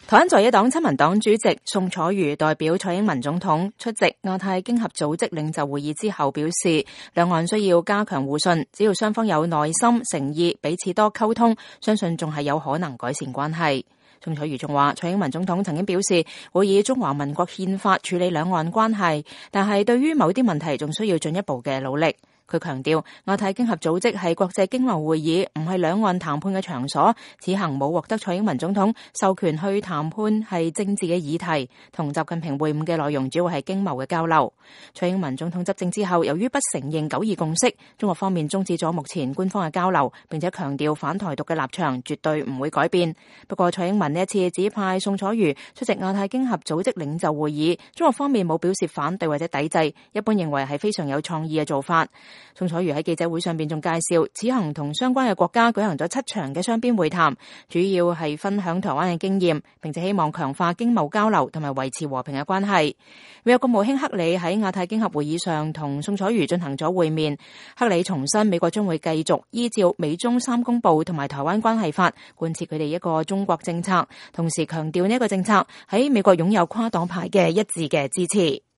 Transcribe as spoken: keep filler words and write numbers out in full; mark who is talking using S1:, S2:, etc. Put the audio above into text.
S1: 台灣在野黨親民黨主席宋楚瑜代表蔡英文總統出席亞太經合組織領袖會議之後表示，兩岸需要加強互信，只要雙方有耐心、誠意，彼此多溝通，相信仲係有可能改善關係。宋楚瑜仲話，蔡英文總統曾經表示會以中華民國憲法處理兩岸關係，但係對於某啲問題仲需要進一步嘅努力。佢強調，亞太經合組織係國際經貿會議，唔係兩岸談判嘅場所。此行冇獲得蔡英文總統授權去談判係政治嘅議題，同習近平會晤嘅內容主要係經貿嘅交流。蔡英文總統執政之後，由於不承認九二共識，中國方面終止咗目前官方嘅交流，並且強調反台獨嘅立場絕對唔會改變。不過蔡英文呢一次指派宋楚瑜出席亞太經合組織領袖會議，中國方面冇表示反對或者抵制，一般認為係非常有創意嘅做法。宋楚瑜喺記者會上邊仲介紹，此行同相關嘅國家舉行咗七場嘅雙邊會談，主要係分享台灣嘅經驗，並且希望強化經貿交流同埋維持和平嘅關係。美國國務卿克里喺亞太經合會議上同宋楚瑜進行咗會面，克里重申美國將會繼續依照美中三公報同埋台灣關係法貫徹佢哋一個中國政策，同時強調呢一個政策喺美國擁有跨黨派嘅一致嘅支持。